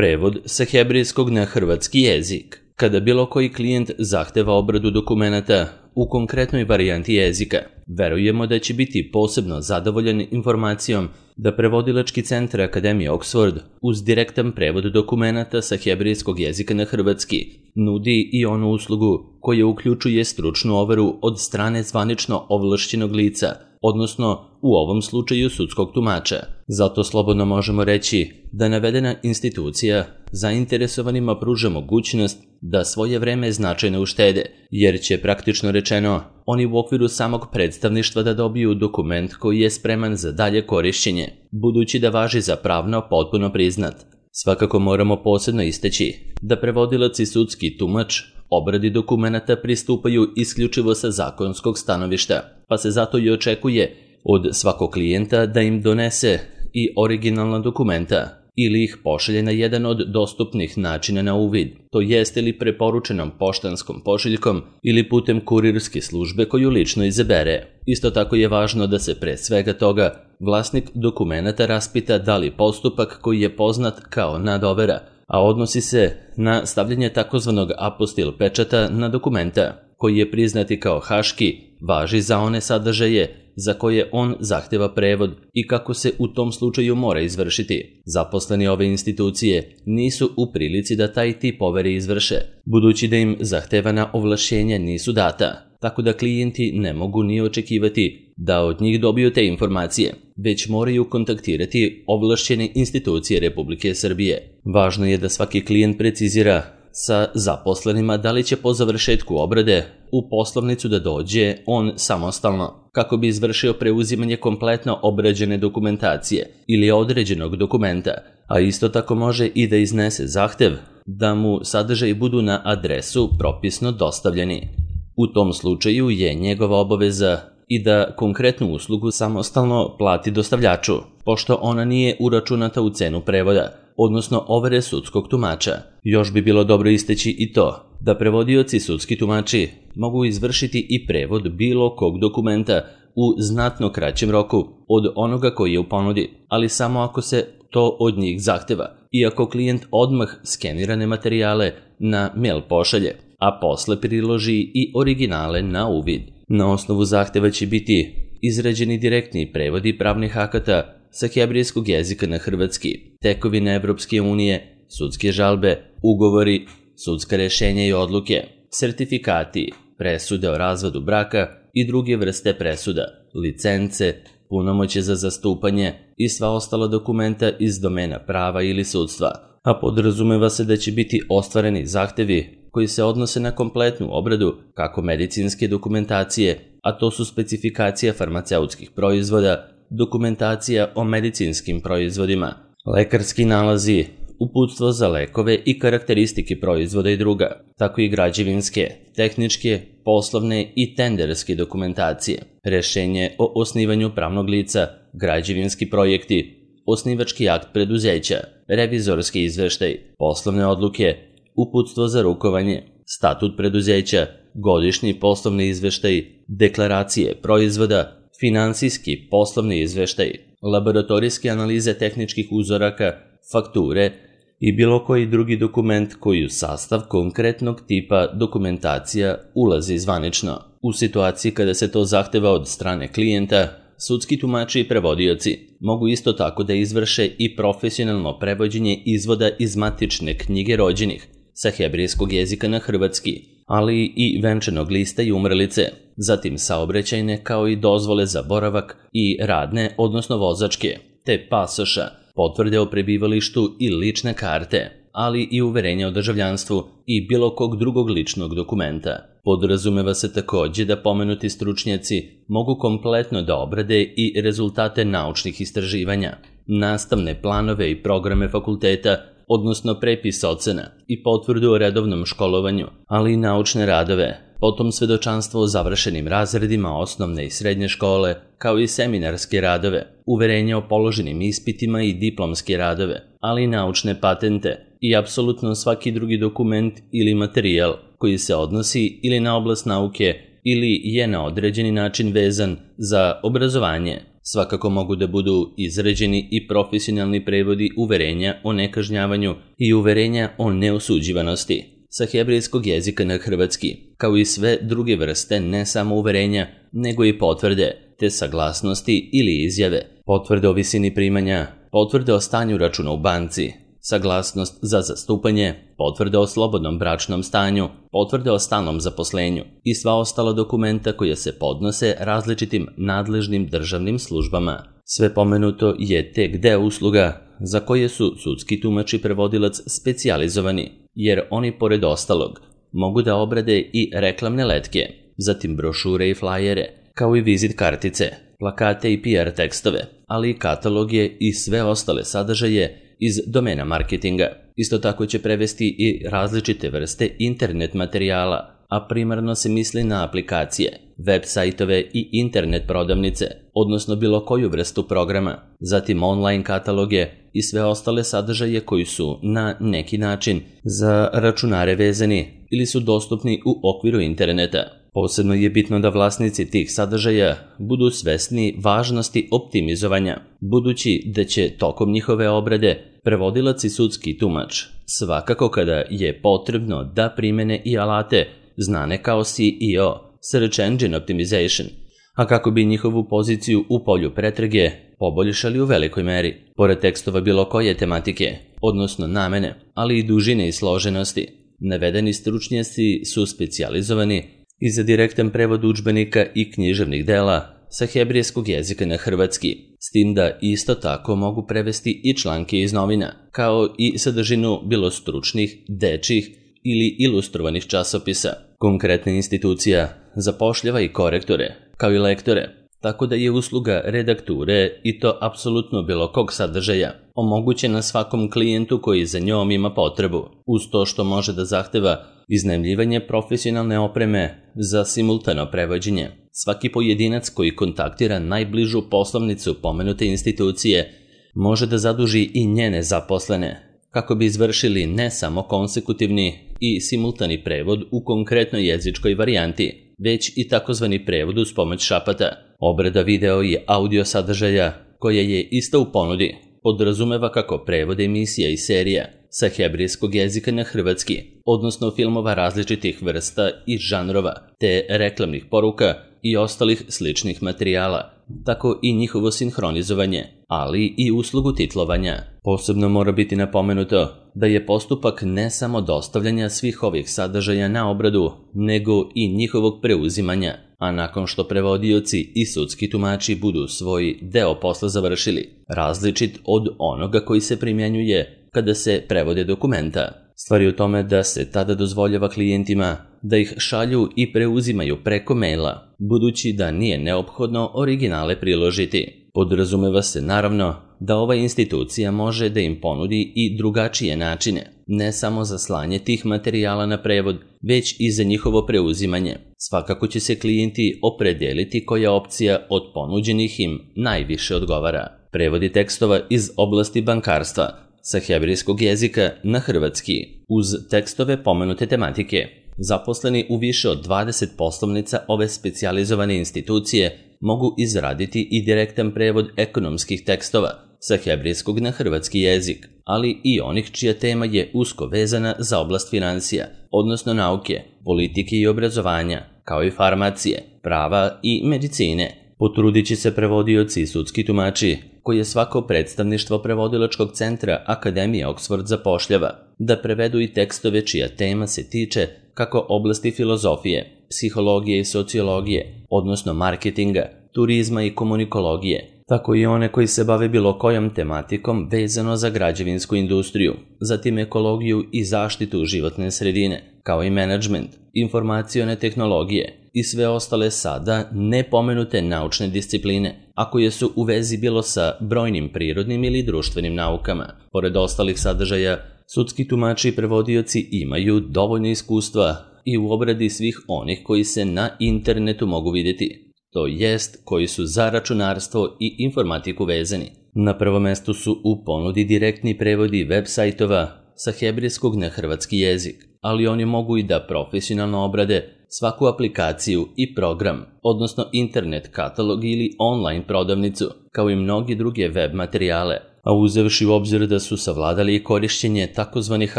Prevod sa hebrejskog na hrvatski jezik. Kada bilo koji klijent zahteva obradu dokumenata u konkretnoj varijanti jezika, verujemo da će biti posebno zadovoljan informacijom da Prevodilački centar Akademije Oxford uz direktan prevod dokumenata sa hebrejskog jezika na hrvatski nudi i onu uslugu koja uključuje stručnu overu od strane zvanično ovlašćenog lica, odnosno u ovom slučaju sudskog tumača. Zato slobodno možemo reći da navedena institucija zainteresovanima pruža mogućnost da svoje vreme značajno uštede, jer će praktično rečeno oni u okviru samog predstavništva da dobiju dokument koji je spreman za dalje korišćenje, budući da važi za pravno potpuno priznat. Svakako moramo posebno istaći da prevodilac i sudski tumač obradi dokumenata pristupaju isključivo sa zakonskog stanovišta, pa se zato i očekuje od svakog klijenta da im donese i originalna dokumenta ili ih pošalje na jedan od dostupnih načina na uvid, to jest ili preporučenom poštanskom pošiljkom ili putem kurirske službe koju lično izabere. Isto tako je važno da se pre svega toga vlasnik dokumenata raspita da li postupak koji je poznat kao nadovera, a odnosi se na stavljanje takozvanog apostil pečata na dokumenta, koji je priznati kao haški, važi za one sadržaje za koje on zahteva prevod i kako se u tom slučaju mora izvršiti. Zaposleni ove institucije nisu u prilici da taj tip overe izvrše, budući da im zahtevana ovlašćenja nisu data, tako da klijenti ne mogu ni očekivati da od njih dobiju te informacije, već moraju kontaktirati ovlašćene institucije Republike Srbije. Važno je da svaki klijent precizira sa zaposlenima da li će po završetku obrade u poslovnicu da dođe on samostalno, kako bi izvršio preuzimanje kompletno obrađene dokumentacije ili određenog dokumenta, a isto tako može i da iznese zahtev da mu sadržaji budu na adresu propisno dostavljeni. U tom slučaju je njegova obaveza i da konkretnu uslugu samostalno plati dostavljaču, pošto ona nije uračunata u cenu prevoda, odnosno overe sudskog tumača. Još bi bilo dobro istaći i to da prevodioci i sudski tumači mogu izvršiti i prevod bilo kog dokumenta u znatno kraćem roku od onoga koji je u ponudi, ali samo ako se to od njih zahteva i ako klijent odmah skenirane materijale na mail pošalje, a posle priloži i originale na uvid. Na osnovu zahteva će biti izrađeni direktni prevodi pravnih akata sa hebrejskog jezika na hrvatski, tekovine Evropske unije, sudske žalbe, ugovori, sudska rešenja i odluke, sertifikati, presude o razvodu braka i druge vrste presuda, licence, punomoćje za zastupanje i sva ostala dokumenta iz domena prava ili sudstva, a podrazumeva se da će biti ostvareni zahtevi koji se odnose na kompletnu obradu kako medicinske dokumentacije, a to su specifikacija farmaceutskih proizvoda, dokumentacija o medicinskim proizvodima, lekarski nalazi, uputstvo za lekove i karakteristike proizvoda i druga, tako i građevinske, tehničke, poslovne i tenderske dokumentacije, rešenje o osnivanju pravnog lica, građevinski projekti, osnivački akt preduzeća, revizorski izveštaj, poslovne odluke, uputstvo za rukovanje, statut preduzeća, godišnji poslovni izveštaj, deklaracije proizvoda, finansijski poslovni izveštaj, laboratorijske analize tehničkih uzoraka, fakture i bilo koji drugi dokument koji u sastav konkretnog tipa dokumentacija ulazi zvanično. U situaciji kada se to zahteva od strane klijenta, sudski tumači i prevodioci mogu isto tako da izvrše i profesionalno prevođenje izvoda iz matične knjige rođenih sa hebrejskog jezika na hrvatski, ali i venčanog lista i umrlice, zatim saobraćajne kao i dozvole za boravak i radne, odnosno vozačke, te pasoša, potvrde o prebivalištu i lične karte, ali i uverenja o državljanstvu i bilo kog drugog ličnog dokumenta. Podrazumeva se takođe da pomenuti stručnjaci mogu kompletno da obrade i rezultate naučnih istraživanja, nastavne planove i programe fakulteta, odnosno prepis ocena i potvrdu o redovnom školovanju, ali i naučne radove, potom svedočanstvo o završenim razredima osnovne i srednje škole, kao i seminarske radove, uverenje o položenim ispitima i diplomske radove, ali i naučne patente i apsolutno svaki drugi dokument ili materijal koji se odnosi ili na oblast nauke ili je na određeni način vezan za obrazovanje. Svakako mogu da budu izrađeni i profesionalni prevodi uverenja o nekažnjavanju i uverenja o neosuđivanosti sa hebrejskog jezika na hrvatski, kao i sve druge vrste ne samo uverenja, nego i potvrde, te saglasnosti ili izjave, potvrde o visini primanja, potvrde o stanju računa u banci, saglasnost za zastupanje, potvrde o slobodnom bračnom stanju, potvrde o stalnom zaposlenju i sva ostala dokumenta koja se podnose različitim nadležnim državnim službama. Sve pomenuto je tek deo usluga za koje su sudski tumač i prevodilac specijalizovani, jer oni pored ostalog mogu da obrade i reklamne letke, zatim brošure i flajere, kao i vizit kartice, plakate i PR tekstove, ali i kataloge i sve ostale sadržaje iz domena marketinga. Isto tako će prevesti i različite vrste internet materijala, a primarno se misli na aplikacije, web sajtove i internet prodavnice, odnosno bilo koju vrstu programa, zatim online kataloge i sve ostale sadržaje koji su na neki način za računare vezani ili su dostupni u okviru interneta. Posebno je bitno da vlasnici tih sadržaja budu svesni važnosti optimizovanja, budući da će tokom njihove obrade prevodilac i sudski tumač svakako kada je potrebno da primene i alate znane kao SEO, Search Engine Optimization, a kako bi njihovu poziciju u polju pretrage poboljšali u velikoj meri. Pored tekstova bilo koje tematike, odnosno namene, ali i dužine i složenosti, navedeni stručnjaci su specijalizovani i za direktan prevod udžbenika i književnih dela sa hebrejskog jezika na hrvatski, s tim da isto tako mogu prevesti i članke iz novina, kao i sadržinu bilo stručnih, dečjih ili ilustrovanih časopisa. Konkretna institucija zapošljava i korektore, kao i lektore, tako da je usluga redakture, i to apsolutno bilo kog sadržaja, omogućena svakom klijentu koji za njom ima potrebu, uz to što može da zahteva iznajmljivanje profesionalne opreme za simultano prevođenje. Svaki pojedinac koji kontaktira najbližu poslovnicu pomenute institucije može da zaduži i njene zaposlene, kako bi izvršili ne samo konsekutivni i simultani prevod u konkretnoj jezičkoj varijanti, već i takozvani prevod uz pomoć šapata. Obrada video i audio sadržaja, koja je isto u ponudi, podrazumeva kako prevod emisija i serija sa hebrejskog jezika na hrvatski, odnosno filmova različitih vrsta i žanrova, te reklamnih poruka i ostalih sličnih materijala, tako i njihovo sinhronizovanje, ali i uslugu titlovanja. Posebno mora biti napomenuto da je postupak ne samo dostavljanja svih ovih sadržaja na obradu, nego i njihovog preuzimanja, a nakon što prevodioci i sudski tumači budu svoj deo posla završili, različit od onoga koji se primjenjuje kada se prevode dokumenta. Stvar je u tome da se tada dozvoljava klijentima da ih šalju i preuzimaju preko maila, budući da nije neophodno originale priložiti. Podrazumeva se naravno da ova institucija može da im ponudi i drugačije načine, ne samo za slanje tih materijala na prevod, već i za njihovo preuzimanje. Svakako će se klijenti opredeliti koja opcija od ponuđenih im najviše odgovara. Prevodi tekstova iz oblasti bankarstva sa hebrejskog jezika na hrvatski, uz tekstove pomenute tematike. Zaposleni u više od 20 poslovnica ove specijalizovane institucije mogu izraditi i direktan prevod ekonomskih tekstova sa hebrejskog na hrvatski jezik, ali i onih čija tema je usko vezana za oblast financija, odnosno nauke, politike i obrazovanja, kao i farmacije, prava i medicine. Potrudit će se prevodioci i sudski tumači, koje svako predstavništvo prevodilačkog centra Akademije Oxford zapošljava, da prevedu i tekstove čija tema se tiče kako oblasti filozofije, psihologije i sociologije, odnosno marketinga, turizma i komunikologije, tako i one koji se bave bilo kojom tematikom vezano za građevinsku industriju, zatim ekologiju i zaštitu životne sredine, kao i menadžment, informacione tehnologije i sve ostale sada nepomenute naučne discipline, a koje su u vezi bilo sa brojnim prirodnim ili društvenim naukama. Pored ostalih sadržaja, sudski tumači i prevodioci imaju dovoljno iskustva i u obradi svih onih koji se na internetu mogu vidjeti, to jest koji su za računarstvo i informatiku vezani. Na prvom mestu su u ponudi direktni prevodi web sajtova sa hebrejskog na hrvatski jezik, ali oni mogu i da profesionalno obrade svaku aplikaciju i program, odnosno internet katalog ili online prodavnicu, kao i mnogi druge web materijale, a uzevši u obzir da su savladali i korišćenje takozvanih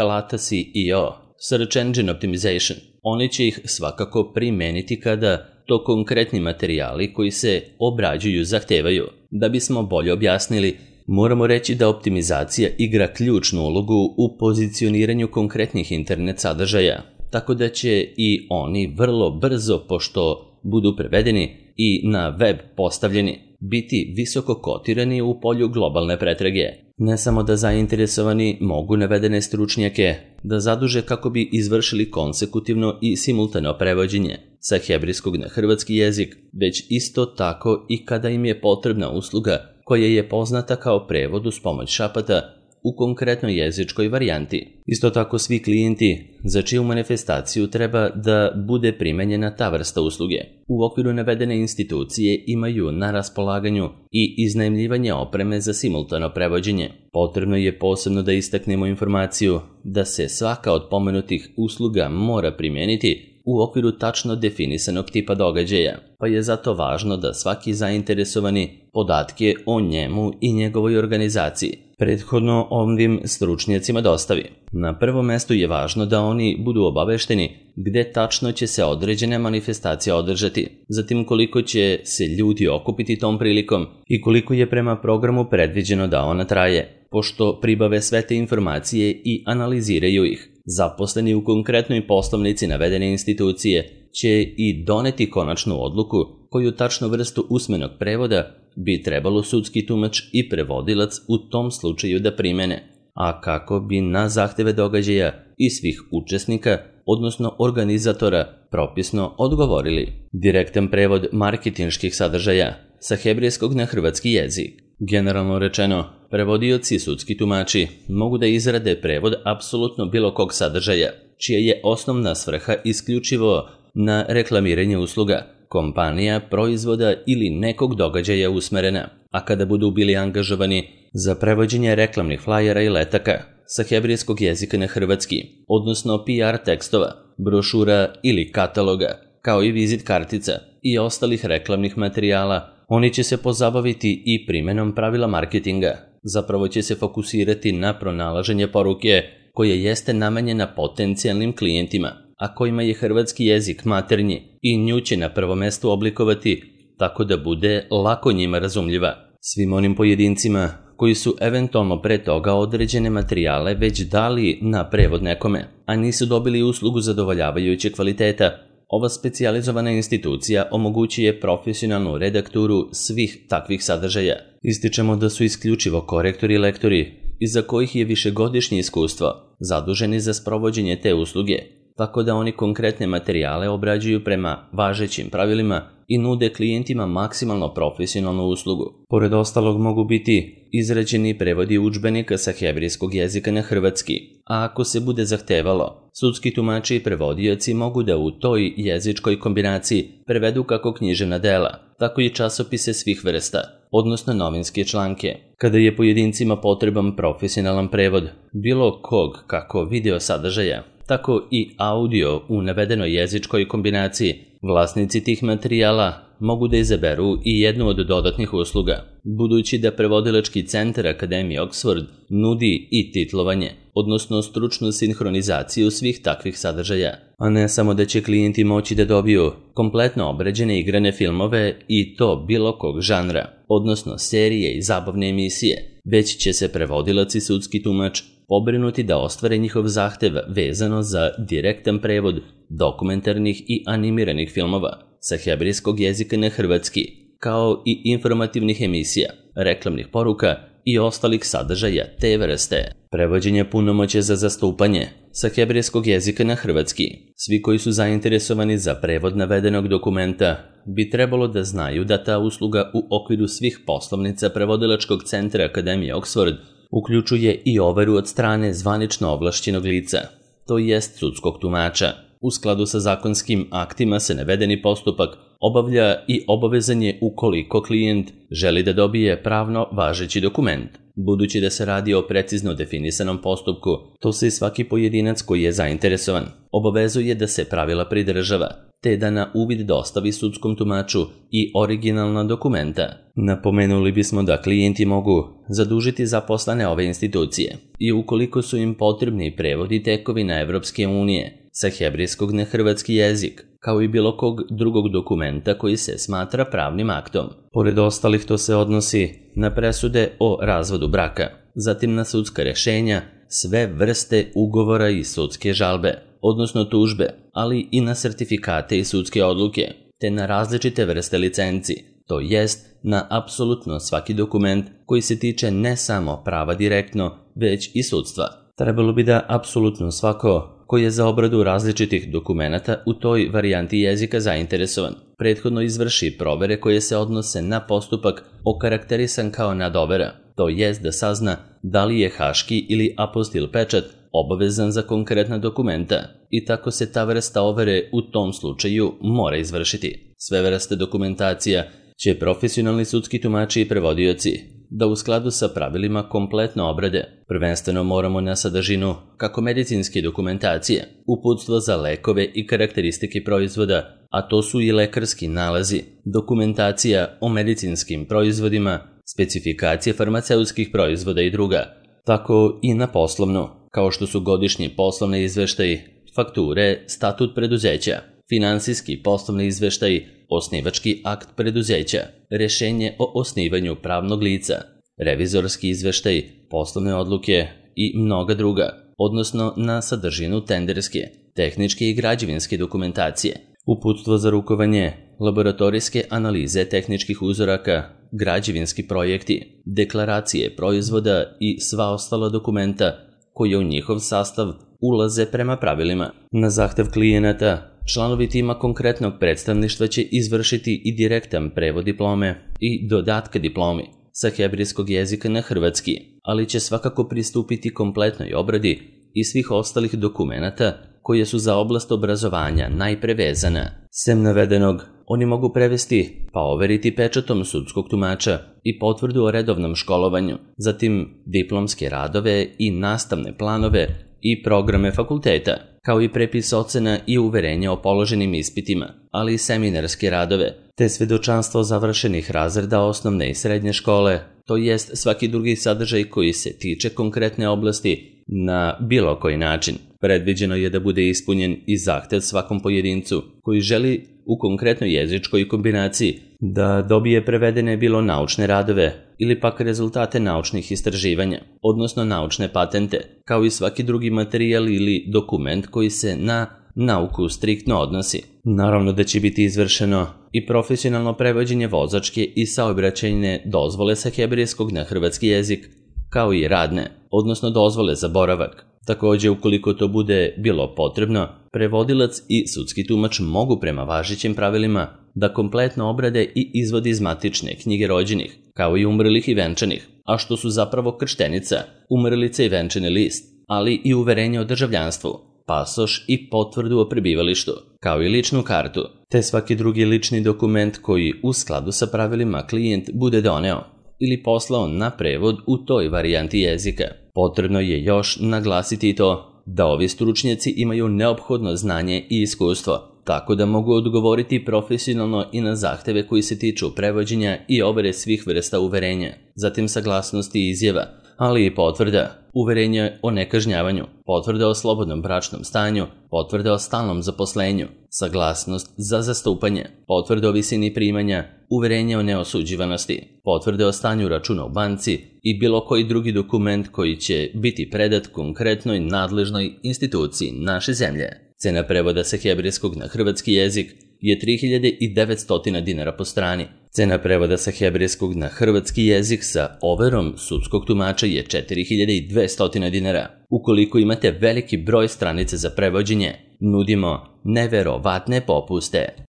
alata SEO, Search Engine Optimization, oni će ih svakako primeniti kada to konkretni materijali koji se obrađuju zahtevaju. Da bismo bolje objasnili, moramo reći da optimizacija igra ključnu ulogu u pozicioniranju konkretnih internet sadržaja, tako da će i oni vrlo brzo, pošto budu prevedeni i na web postavljeni, biti visoko kotirani u polju globalne pretrage. Ne samo da zainteresovani mogu navedene stručnjake da zaduže kako bi izvršili konsekutivno i simultano prevođenje sa hebrejskog na hrvatski jezik, već isto tako i kada im je potrebna usluga koja je poznata kao prevod uz pomoć šapata u konkretnoj jezičkoj varijanti. Isto tako svi klijenti za čiju manifestaciju treba da bude primenjena ta vrsta usluge. U okviru navedene institucije imaju na raspolaganju i iznajmljivanje opreme za simultano prevođenje. Potrebno je posebno da istaknemo informaciju da se svaka od pomenutih usluga mora primijeniti u okviru tačno definisanog tipa događaja, pa je zato važno da svaki zainteresovani podatke o njemu i njegovoj organizaciji prethodno ovim stručnjacima dostavi. Na prvom mestu je važno da oni budu obavešteni gde tačno će se određena manifestacija održati, zatim koliko će se ljudi okupiti tom prilikom i koliko je prema programu predviđeno da ona traje. Pošto pribave sve te informacije i analiziraju ih, zaposleni u konkretnoj poslovnici navedene institucije će i doneti konačnu odluku koju tačnu vrstu usmenog prevoda bi trebalo sudski tumač i prevodilac u tom slučaju da primene, a kako bi na zahteve događaja i svih učesnika, odnosno organizatora, propisno odgovorili. Direktan prevod marketinških sadržaja sa hebrejskog na hrvatski jezik. Generalno rečeno, prevodioci i sudski tumači mogu da izrade prevod apsolutno bilo kog sadržaja, čija je osnovna svrha isključivo na reklamiranje usluga, kompanija, proizvoda ili nekog događaja usmerena, a kada budu bili angažovani za prevođenje reklamnih flajera i letaka sa hebrejskog jezika na hrvatski, odnosno PR tekstova, brošura ili kataloga, kao i vizit kartica i ostalih reklamnih materijala, oni će se pozabaviti i primenom pravila marketinga. Zapravo će se fokusirati na pronalaženje poruke koja jeste namenjena potencijalnim klijentima, a kojima je hrvatski jezik maternji, i nju će na prvo mesto oblikovati tako da bude lako njima razumljiva. Svim onim pojedincima koji su eventualno pre toga određene materijale već dali na prevod nekome, a nisu dobili uslugu zadovoljavajućeg kvaliteta, ova specijalizovana institucija omogućuje profesionalnu redakturu svih takvih sadržaja. Ističemo da su isključivo korektori i lektori, iza kojih je višegodišnje iskustvo, zaduženi za sprovođenje te usluge, tako da oni konkretne materijale obrađuju prema važećim pravilima i nude klijentima maksimalno profesionalnu uslugu. Pored ostalog mogu biti izrađeni prevodi udžbenika sa hebrejskog jezika na hrvatski, a ako se bude zahtevalo, sudski tumači i prevodioci mogu da u toj jezičkoj kombinaciji prevedu kako književna dela, tako i časopise svih vrsta, odnosno novinske članke. Kada je pojedincima potreban profesionalan prevod bilo kog kako video sadržaja, tako i audio u navedenoj jezičkoj kombinaciji, vlasnici tih materijala mogu da izaberu i jednu od dodatnih usluga, budući da prevodilački centar Akademije Oxford nudi i titlovanje, odnosno stručnu sinhronizaciju svih takvih sadržaja. A ne samo da će klijenti moći da dobiju kompletno obrađene igrane filmove i to bilo kog žanra, odnosno serije i zabavne emisije, već će se prevodilac i sudski tumač pobrinuti da ostvare njihov zahtev vezano za direktan prevod dokumentarnih i animiranih filmova sa hebrejskog jezika na hrvatski, kao i informativnih emisija, reklamnih poruka i ostalih sadržaja te vrste. Prevođenje punomoćja za zastupanje sa hebrejskog jezika na hrvatski. Svi koji su zainteresovani za prevod navedenog dokumenta bi trebalo da znaju da ta usluga u okviru svih poslovnica prevodilačkog centra Akademije Oxford uključuje i overu od strane zvanično ovlašćenog lica, to jest sudskog tumača. U skladu sa zakonskim aktima se navedeni postupak obavlja i obavezan je ukoliko klijent želi da dobije pravno važeći dokument. Budući da se radi o precizno definisanom postupku, to se i svaki pojedinac koji je zainteresovan obavezuje da se pravila pridržava, te da na uvid dostavi sudskom tumaču i originalna dokumenta. Napomenuli bismo da klijenti mogu zadužiti zaposlene ove institucije i ukoliko su im potrebni prevodi tekovina Evropske unije sa hebrejskog na hrvatski jezik, kao i bilo kog drugog dokumenta koji se smatra pravnim aktom. Pored ostalih, to se odnosi na presude o razvodu braka, zatim na sudska rješenja, sve vrste ugovora i sudske žalbe, odnosno tužbe, ali i na sertifikate i sudske odluke, te na različite vrste licenci, to jest na apsolutno svaki dokument koji se tiče ne samo prava direktno, već i sudstva. Trebalo bi da apsolutno svako koji je za obradu različitih dokumenata u toj varijanti jezika zainteresovan, prethodno izvrši provere koje se odnose na postupak okarakterisan kao nadovera, to jest da sazna da li je haški ili apostil pečat obavezan za konkretna dokumenta i tako se ta vrsta overe u tom slučaju mora izvršiti. Sve vrste dokumentacija će profesionalni sudski tumači i prevodioci da u skladu sa pravilima kompletno obrade. Prvenstveno moramo na sadržinu kako medicinske dokumentacije, uputstvo za lekove i karakteristike proizvoda, a to su i lekarski nalazi, dokumentacija o medicinskim proizvodima, specifikacije farmaceutskih proizvoda i druga, tako i na poslovnu, kao što su godišnji poslovni izveštaji, fakture, statut preduzeća, finansijski poslovni izveštaj, osnivački akt preduzeća, rješenje o osnivanju pravnog lica, revizorski izveštaj, poslovne odluke i mnoga druga, odnosno na sadržinu tenderske, tehničke i građevinske dokumentacije, uputstvo za rukovanje, laboratorijske analize tehničkih uzoraka, građevinski projekti, deklaracije proizvoda i sva ostala dokumenta koji u njihov sastav ulaze prema pravilima. Na zahtev klijenata, članovi tima konkretnog predstavništva će izvršiti i direktan prevod diplome i dodatka diplomi sa hebrejskog jezika na hrvatski, ali će svakako pristupiti kompletnoj obradi i svih ostalih dokumenata koje su za oblast obrazovanja najpre vezana. Sem navedenog, oni mogu prevesti pa overiti pečatom sudskog tumača i potvrdu o redovnom školovanju, zatim diplomske radove i nastavne planove i programe fakulteta, kao i prepis ocena i uverenja o položenim ispitima, ali i seminarske radove, te svedočanstvo završenih razreda osnovne i srednje škole, to jest svaki drugi sadržaj koji se tiče konkretne oblasti na bilo koji način. Predviđeno je da bude ispunjen i zahtev svakom pojedincu koji želi u konkretnoj jezičkoj kombinaciji da dobije prevedene bilo naučne radove ili pak rezultate naučnih istraživanja, odnosno naučne patente, kao i svaki drugi materijal ili dokument koji se na nauku striktno odnosi. Naravno da će biti izvršeno i profesionalno prevođenje vozačke i saobraćajne dozvole sa hebrejskog na hrvatski jezik, kao i radne, odnosno dozvole za boravak. Također, ukoliko to bude bilo potrebno, prevodilac i sudski tumač mogu prema važećim pravilima da kompletno obrade i izvodi iz matične knjige rođenih, kao i umrlih i venčanih, a što su zapravo krštenica, umrlica i venčani list, ali i uverenje o državljanstvu, pasoš i potvrdu o prebivalištu, kao i ličnu kartu, te svaki drugi lični dokument koji u skladu sa pravilima klijent bude doneo ili poslao na prevod u toj varijanti jezika. Potrebno je još naglasiti i to da ovi stručnjaci imaju neophodno znanje i iskustvo, tako da mogu odgovoriti profesionalno i na zahteve koji se tiču prevođenja i overe svih vrsta uverenja, zatim saglasnosti izjava, ali i potvrda, uverenja o nekažnjavanju, potvrda o slobodnom bračnom stanju, potvrda o stalnom zaposlenju, saglasnost za zastupanje, potvrda o visini primanja, uverenje o neosuđivanosti, potvrde o stanju računa u banci i bilo koji drugi dokument koji će biti predat konkretnoj nadležnoj instituciji naše zemlje. Cena prevoda sa hebrejskog na hrvatski jezik je 3.900 dinara po strani. Cena prevoda sa hebrejskog na hrvatski jezik sa overom sudskog tumača je 4.200 dinara. Ukoliko imate veliki broj stranica za prevođenje, nudimo neverovatne popuste.